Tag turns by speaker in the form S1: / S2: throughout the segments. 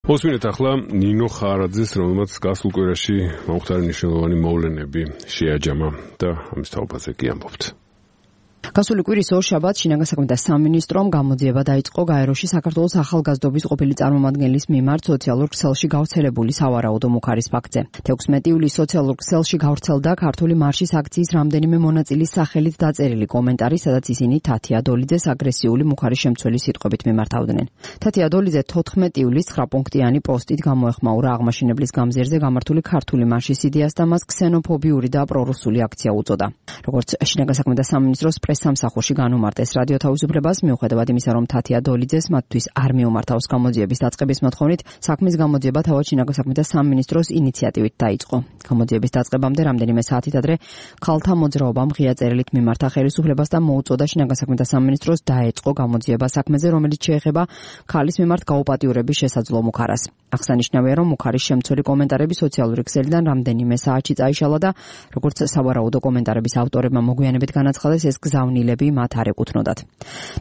S1: მოსმინეთ ახლა ნინო ხარაძეს, რომელმაც გასულ კვირაში მომხდარი მნიშვნელოვანი მოვლენები შეაჯამა და ამის თაობაზე კი ამბობთ.
S2: გასული კვირის ორშაბათს შინაგან საქმეთა სამინისტრომ გამოძიება დაიწყო გაეროში საქართველოს ახალგაზრდობის ყოფილი წარმომადგენლის მიმართ სოციალურ ქსელში გავრცელებული სავარაუდო მუხარის ფაქტზე. 16 ივლისს სოციალურ ქსელში გავრცელდა ქართული მარშის აქციის რამდენიმე მონაწილის სახელით დაწერილი კომენტარი, სადაც ისინი თათია დოლიძეს აგრესიული მუხარის შემცველი სიტყვებით მიმართავდნენ. თათია დოლიძე 14 ივლისს 9 პუნქტიანი პოსტით გამოეხმაურა აღმაშენებლის გამზირზე გამართული ქართული მარშის იდეას და მას ქსენოფობიური და პრორუსული აქცია უწოდა. როგორც შინაგან საქმეთა სამინისტროს სამსახურში განუმარტეს რადიო თავისუფლებას, მიუხედავად იმისა, რომ თათია დოლიძეს მათთვის არ მიუმართავს გამოძიების დაწყების მოთხოვნით, საქმის გამოძიება თავად შინაგან საქმეთა სამინისტროს ინიციატივით დაიწყო. გამოძიების დაწყებამდე რამდენიმე საათით ადრე ქალთა მოძრაობამ ღია წერილით მიმართა ხელისუფლებას და მოუწოდა შინაგან საქმეთა სამინისტროს დაეწყო გამოძიება საქმეზე, რომელიც შეეხება ქალის მიმართ გაუპატიურების შესაძლო მუხარას. აღსანიშნავია, რომ მუხარის შემცველი კომენტარები სოციალური ქსელიდან რამდენიმე საათში წაიშალა და როგორც სავარაუდო კომენტარების ავტორებმა მოგვიანებით განაცხადეს, ეს გზავნილები მათ არ ეკუთვნოდათ.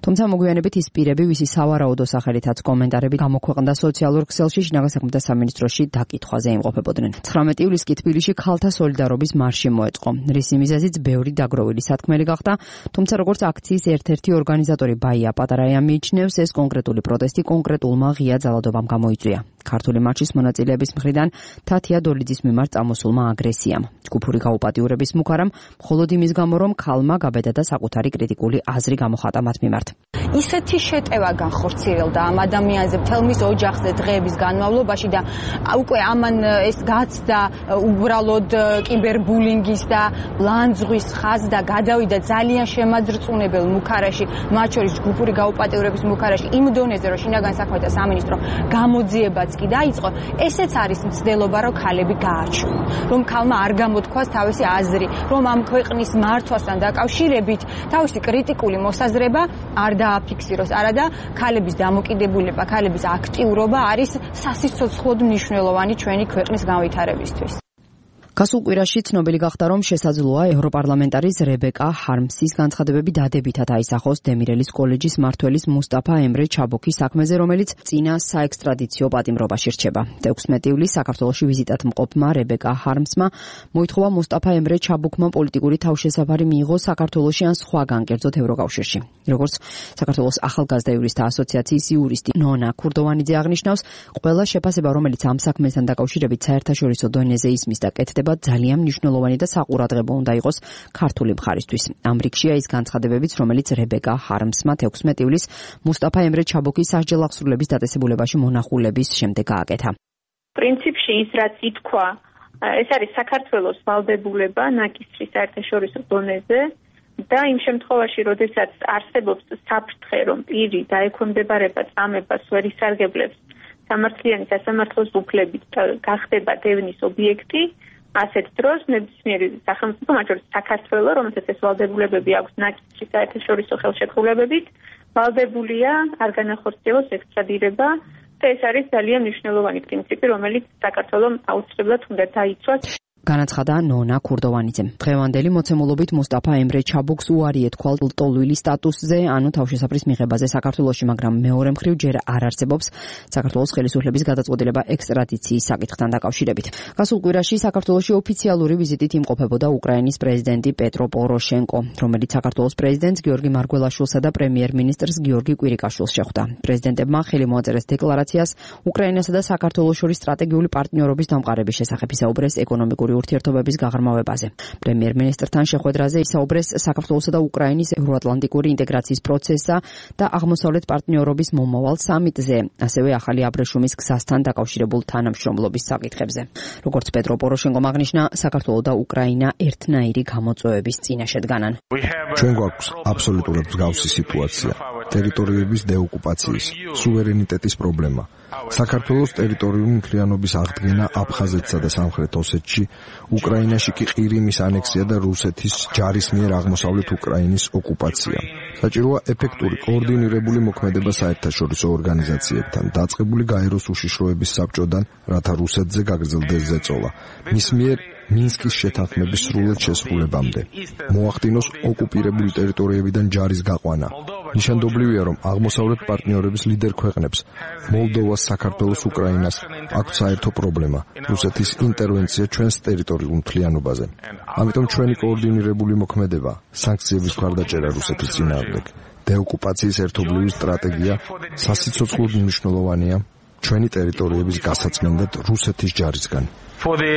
S2: თუმცა მოგვიანებით ის პირები, ვისი სავარაუდო სახელითაც კომენტარები გამოქვეყნდა სოციალურ ქსელში, შინაგან საქმეთა სამინისტროში დაკითხვაზე იმყოფებოდნენ. 19 ივლისს კი თბილისში ქალთა სოლიდარობის მარში მოეწყო. რისი მიზეზიც ბევრი დაგროვილი სათქმელი გახდა, თუმცა როგორც აქციის ერთ-ერთი ორგანიზატორი ბაია პატარაია მიიჩნევს, ეს კონკრეტული პროტესტი კონკრეტულმა ღია ძალადობამ გამოიწვია. ქართული მარშის მონაწილეების მხრიდან თათია დოლიძის მიმართ წამოსულმა აგრესიამ. ჯგუფური გაუპატიურების მუხარამ მხოლოდ იმის გამო, რომ ქალმა გაბედა და საკუთარი კრიტიკული აზრი გამოხატა მათ მიმართ.
S3: ისეთი შეტევა განხორციელდა ამ ადამიანზე მთელ მის ოჯახზე დღეების განმავლობაში და უკვე ამან ეს გაცდა უბრალოდ კიბერბულინგის და ლანძღვის ხაზს და გადავიდა ძალიან შემაძრწუნებელ მუხარაში, მათ შორის ჯგუფური გაუპატიურების მუხარაში იმ დონეზე, რომ შინაგან საქმეთა სამინისტრო გამოძიებაც კი დაიწყო. ესეც არის მცდელობა, რომ ქალები გაარჩუნონ, რომ ქალმა არ გამოთქვას თავისი აზრი, რომ ამ ქვეყნის მართვასთან დაკავშირებით თავისი კრიტიკული მოსაზრება არ დააფიქსიროს, არადა ქალების დამოკიდებულება, ქალების აქტიურობა არის სასიცოცხლოდ მნიშვნელოვანი ჩვენი ქვეყნის განვითარებისთვის.
S2: გასულ კვირაში ცნობილი გახდა, რომ შესაძლოა ევროპარლამენტარის რებეკა ჰარმსის განცხადებები დადებითად აისახოს დემირელის კოლეჯის მმართველის მუსტაფა ემრე ჩაბოქის საქმეზე, რომელიც წინა საექსტრადიციო პატიმრობაში რჩება. 16 ივლისს საქართველოში ვიზიტად მყოფმა რებეკა ჰარმსმა მოითხოვა მუსტაფა ემრე ჩაბოქმა პოლიტიკური თავშესაფარი მიიღოს საქართველოში ან სხვაგან, კერძოდ ევროკავშირში. როგორც საქართველოს ახალგაზრდა იურისტთა ასოციაციის იურისტი ნონა ქურდოვანიძე აღნიშნავს, ყველა შეფასება, რომელიც ამ საქმესთან დაკავშირებით საერთაშორისო დონეზე ისმის და კეთდება, ძალიან მნიშვნელოვანი და საყურადღებო უნდა იყოს ქართული მხარისთვის. ამ რიგშია ის განცხადებებიც, რომელიც რებეკა ჰარმსმა 16 ივლისს მუსტაფა ემრე ჩაბოქის სასჯელ აღსრულების დაწესებულებაში მონახულების შემდეგ გააკეთა.
S4: პრინციპში ის რაც ითქვა, ეს არის საქართველოს ვალდებულება ნაკისრის საერთაშორისო დონეზე და იმ შემთხვევაში, როდესაც არსებობს საფრთხე, რომ პირი დაექვემდებარება წამებას ვერ ისარგებლებს სამართლიანი სასამართლოს უფლებით გახდება დევნის ობიექტი, ასეთ დროს ნებისმიერი სახელმწიფო, მათ შორის საქართველოს, რომელსაც ეს ვალდებულებები აქვს ნაკისრის საერთაშორისო ხელშეკრულებებით, ვალდებულია არ განახორციელოს ექსტრადირება და ეს არის ძალიან მნიშვნელოვანი პრინციპი, რომელიც საქართველოს აუცილებლად უნდა დაიცვას.
S2: განაცხადა ნონა ქურდოვანიძემ. დღევანდელი მოცემულობით მუსტაფა ემრე ჩაბოქს უარი ეთქვა ლტოლვილი სტატუსზე, ანუ თავშესაფრის მიღებაზე საქართველოში, მაგრამ მეორე მხრივ ჯერ არ არსებობს საქართველოს ხელისუფლების გადაწყვეტილება ექსტრადიციის საკითხთან დაკავშირებით. გასულ კვირაში საქართველოში ოფიციალური ვიზიტით იმყოფებოდა უკრაინის პრეზიდენტი პეტრო პოროშენკო, რომელიც საქართველოს პრეზიდენტს გიორგი მარგველაშვილსა და პრემიერ-მინისტრს გიორგი კვირიკაშვილს შეხვდა. პრეზიდენტებმა ხელი მოაწერეს დეკლარაციას უკრაინასა და საქართველოს შორის სტრატეგიული პარტნიორობის დამყარების შესახებ, ისაუბრეს ეკონომიკური ურთიერთობების გაღრმავებაზე. პრემიერ-მინისტრთან შეხვედრაზე ისაუბრეს საქართველოსა და უკრაინის ევროატლანტიკური ინტეგრაციის პროცესსა და აღმოსავლეთ პარტნიორობის მომავალ სამიტზე, ასევე ახალი აბრეშუმის გზასთან დაკავშირებულ თანამშრომლობის საკითხებზე. როგორც პეტრო პოროშენკომ აღნიშნა, საქართველო და უკრაინა ერთნაირი გამოწვევების წინაშე დგანან.
S5: ჩვენ გვაქვს აბსოლუტურად მსგავსი სიტუაცია. ტერიტორიების დეოკუპაციის, სუვერენიტეტის პრობლემა. საქართველოს ტერიტორიული მთლიანობის აღდგენა აფხაზეთსა და სამხრეთ ოსეთში, უკრაინაში კი ყირიმის ანექსია და რუსეთის ჯარის მიერ აღმოსავლეთ უკრაინის ოკუპაცია. საჭიროა ეფექტური კოორდინირებული მოქმედება საერთაშორისო ორგანიზაციებთან, დაწყებული გაეროს უშიშროების საბჭოდან, რათა რუსეთზე გაგრძელდეს ზეწოლა. მის მიერ მინსკის შეთანხმების სრულად შესრულებამდე. მოახდინოს ოკუპირებული ტერიტორიებიდან ჯარის გაყვანა. ნიშანდობლივია, რომ აღმოსავლეთ პარტნიორების ლიდერ ქვეყნებს მოლდოვას, საქართველოს, უკრაინას აქვთ საერთო პრობლემა რუსეთის ინტერვენცია ჩვენს ტერიტორიულ მთლიანობაზე. ამიტომ ჩვენი კოორდინირებული მოქმედება, სანქციების მხარდაჭერა რუსეთის წინააღმდეგ, დეოკუპაციის ერთობლივი სტრატეგია სასიცოცხლოდ მნიშვნელოვანია ჩვენი ტერიტორიების გასაწმენდად რუსეთის ჯარისგან.
S6: For the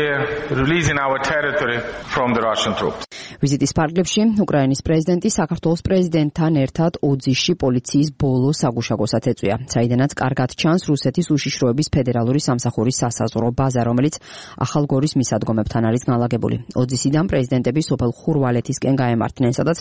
S6: releasing our territory from the Russian troops.
S2: ვიზიტის ფარგლებში უკრაინის პრეზიდენტი საქართველოს პრეზიდენტთან ერთად ოძისში პოლიციის ბოლო საგუშაგოსაც ეწვია, საიდანაც კარგად ჩანს რუსეთის უშიშროების ფედერალური სამსახურის სასაზღვრო ბაზა, რომელიც ახალგორის მისადგომებთან არის განლაგებული. ოძისიდან პრეზიდენტები სოფელ ხურვალეთისკენ გაემართნენ, სადაც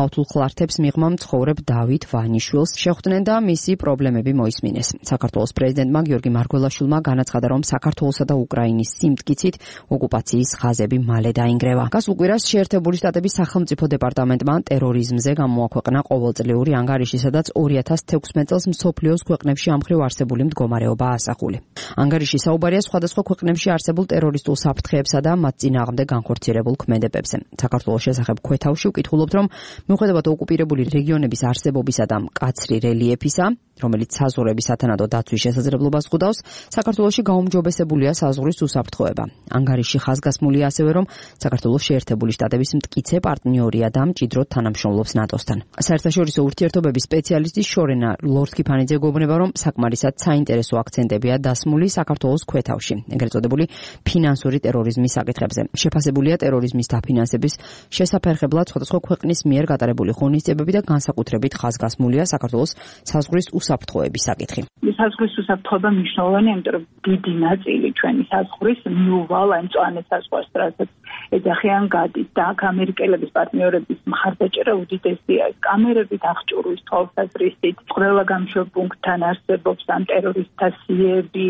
S2: მავთულხლართებს მიღმა მცხოვრებ დავით ვანიშვილს შეხვდნენ და მისი პრობლემები მოისმინეს. საქართველოს პრეზიდენტმა გიორგი მარგველაშვილმა განაცხადა, რომ საქართველოსა და უკრაინის გიცით ოკუპაციის ხაზები მალე დაინგრევა. გასულ კვირას შეერთებული შტატების სახელმწიფო დეპარტამენტმა ტერორიზმზე გამოაქვეყნა ყოველწლიური ანგარიში, სადაც 2016 წელს მსოფლიოს ქვეყნებში ამ მხრივ არსებული მდგომარეობაა ასახული. ანგარიში საუბარია სხვადასხვა ქვეყნებში არსებულ ტერორისტულ საფრთხეებსა და მათ წინააღმდეგ განხორციელებულ ქმედებებზე. საქართველოს შესახებ ქვეთავში ვკითხულობთ, რომ მიუხედავად ოკუპირებული რეგიონების არსებობისა და მკაცრი რელიეფისა, რომელიც საზღვრების სათანადო დაცვის შესაძლებლობას ხვდავს, საქართველოში გაუმჯობესებულია საზღვრის უსაფრთხოება. ანგარიში ხაზგასმულია ასევე, რომ საქართველოს შეერთებული შტატების მტკიცე პარტნიორია და მჭიდროდ თანამშრომლობს ნატოსთან. საერთაშორისო ურთიერთობების სპეციალისტი შორენა ლორთქიფანიძე გეუბნება, რომ საკმარისად საინტერესო აქცენტებია დასმული საქართველოს ქვეთავში, ეგრეთ წოდებული ფინანსური ტერორიზმის საკითხებზე. შეფასებულია ტერორიზმის დაფინანსების შესაფერხებლად სხვადასხვა ქვეყნის მიერ გატარებული ღონისძიებები და განსაკუთრებით ხაზგასმულია საქართველოს საზღვრის უსაფრთხოების საკითხი.
S7: საზღვრის უსაფრთხოება მნიშვნელოვანია, იმიტომ რომ დიდი ნაწილი ჩვენი საზღვრის მიუვალ ან მწვანე საზღვარს, რასაც ეძახიან გადის და აქ ამერიკელების პარტნიორების მხარდაჭერა უდიდესია. კამერებით, აღჭურვის თვალსაზრისით, ყველა გამშვებ პუნქტთან არსებობს ამ ტერორისტთა სიები,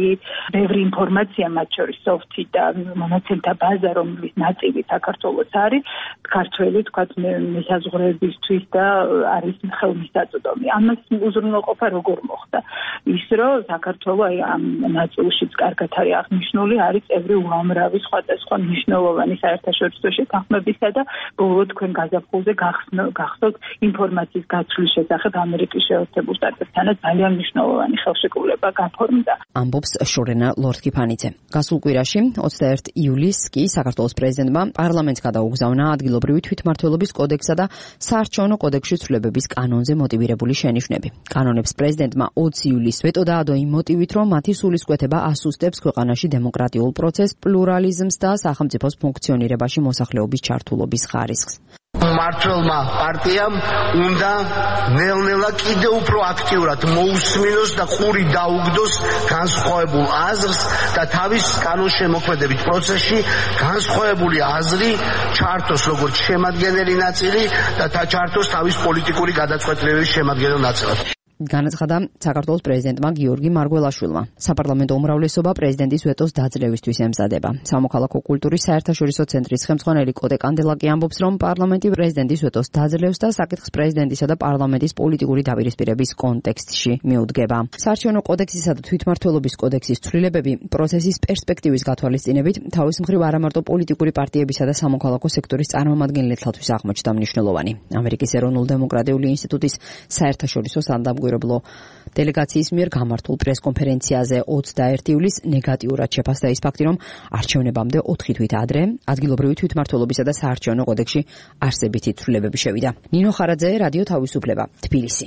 S7: ბევრი ინფორმაცია, მათ შორის სოფთი და მონაცემთა ბაზა, რომლის ნაწილი საქართველოს არის, ქართველი თქვათ მესაზღვრეებისთვის და არის ხელმისაწვდომი. ამას უზრუნველყოფა როგორ მოხდა? ის რომ საქართველო აი ამ ნაწილშიც კარგად არის აღნიშნული, არის წევრი უამრავი სხვადასხვა მნიშვნელოვანი საერთაშორისო შეთანხმებისა და ბოლო თქვენ გაზაფხულზე გახსოვთ ინფორმაციის გაცვლის შესახებ ამერიკის შეერთებულ შტატებთანაც ძალიან მნიშვნელოვანი ხელშეკრულება გაფორმდა.
S2: ამბობს შორენა ლორთქიფანიძე. გასულ კვირაში 21 ივლისს კი საქართველოს პრეზიდენტმა პარლამენტს გადაუგზავნა ადგილობრივი თვითმმართველობის კოდექსსა და საარჩევნო კოდექსში ცვლილებების კანონზე მოტივირებული შენიშვნები. კანონებს პრეზიდენტმა 20 ივლისს ვეტო დაადო იმ მოტივით, რომ მათი სულისკვეთება ასუსტებს ქვეყანაში დემოკრატიულ პროცესს, პლურალიზმს და სახელმწიფოს ფუნქციონირებაში მოსახლეობის ჩართულობის ხარისხს.
S8: მმართველმა პარტიამ უნდა ნელ-ნელა კიდევ უფრო აქტიურად მოусმინოს და ყური დაუგდოს განსხვავებულ აზრს და თავის კანონშემოქმედებით პროცესში განსხვავებული აზრი ჩართოს როგორც შემადგენელი ნაწილი და ჩართოს თავის პოლიტიკური გადაწყვეტილებების შემადგენელ ნაწილად.
S2: განაცხადა საქართველოს პრეზიდენტმა გიორგი მარგველაშვილმა. საპარლამენტო უმრავლესობა პრეზიდენტის ვეტოს დაძლევისთვის ემზადება. სამოქალაქო კულტურის საერთაშორისო ცენტრის ხელმძღვანელი კოტე კანდელაკი ამბობს, რომ პარლამენტი პრეზიდენტის ვეტოს დაძლევს და საკითხს პრეზიდენტისა და პარლამენტის პოლიტიკური დაპირისპირების კონტექსტში მიუდგება. საარჩევნო კოდექსისა და თვითმმართველობის კოდექსის ცვლილებები პროცესის პერსპექტივის გათვალისწინებით თავის მხრივ არამარტო პოლიტიკური პარტიებისა და სამოქალაქო სექტორის წარმომადგენლეთათვის აღმოჩნდა მნიშვნელოვანი. ამერიკის ეროვნულ-დემოკრატიული ინსტიტუტის საერთაშორისო სამგურებლო დელეგაციის მიერ გამართულ პრესკონფერენციაზე 21 ივლისს ნეგატიურად შეფასდა ის ფაქტი, რომ არჩევნებამდე 4 თვით ადრე ადგილობრივი თვითმმართველობისა და საარჩევნო კოდექსში არსებითი ცვლილებები შევიდა. ნინო ხარაძე, რადიო თავისუფლება, თბილისი.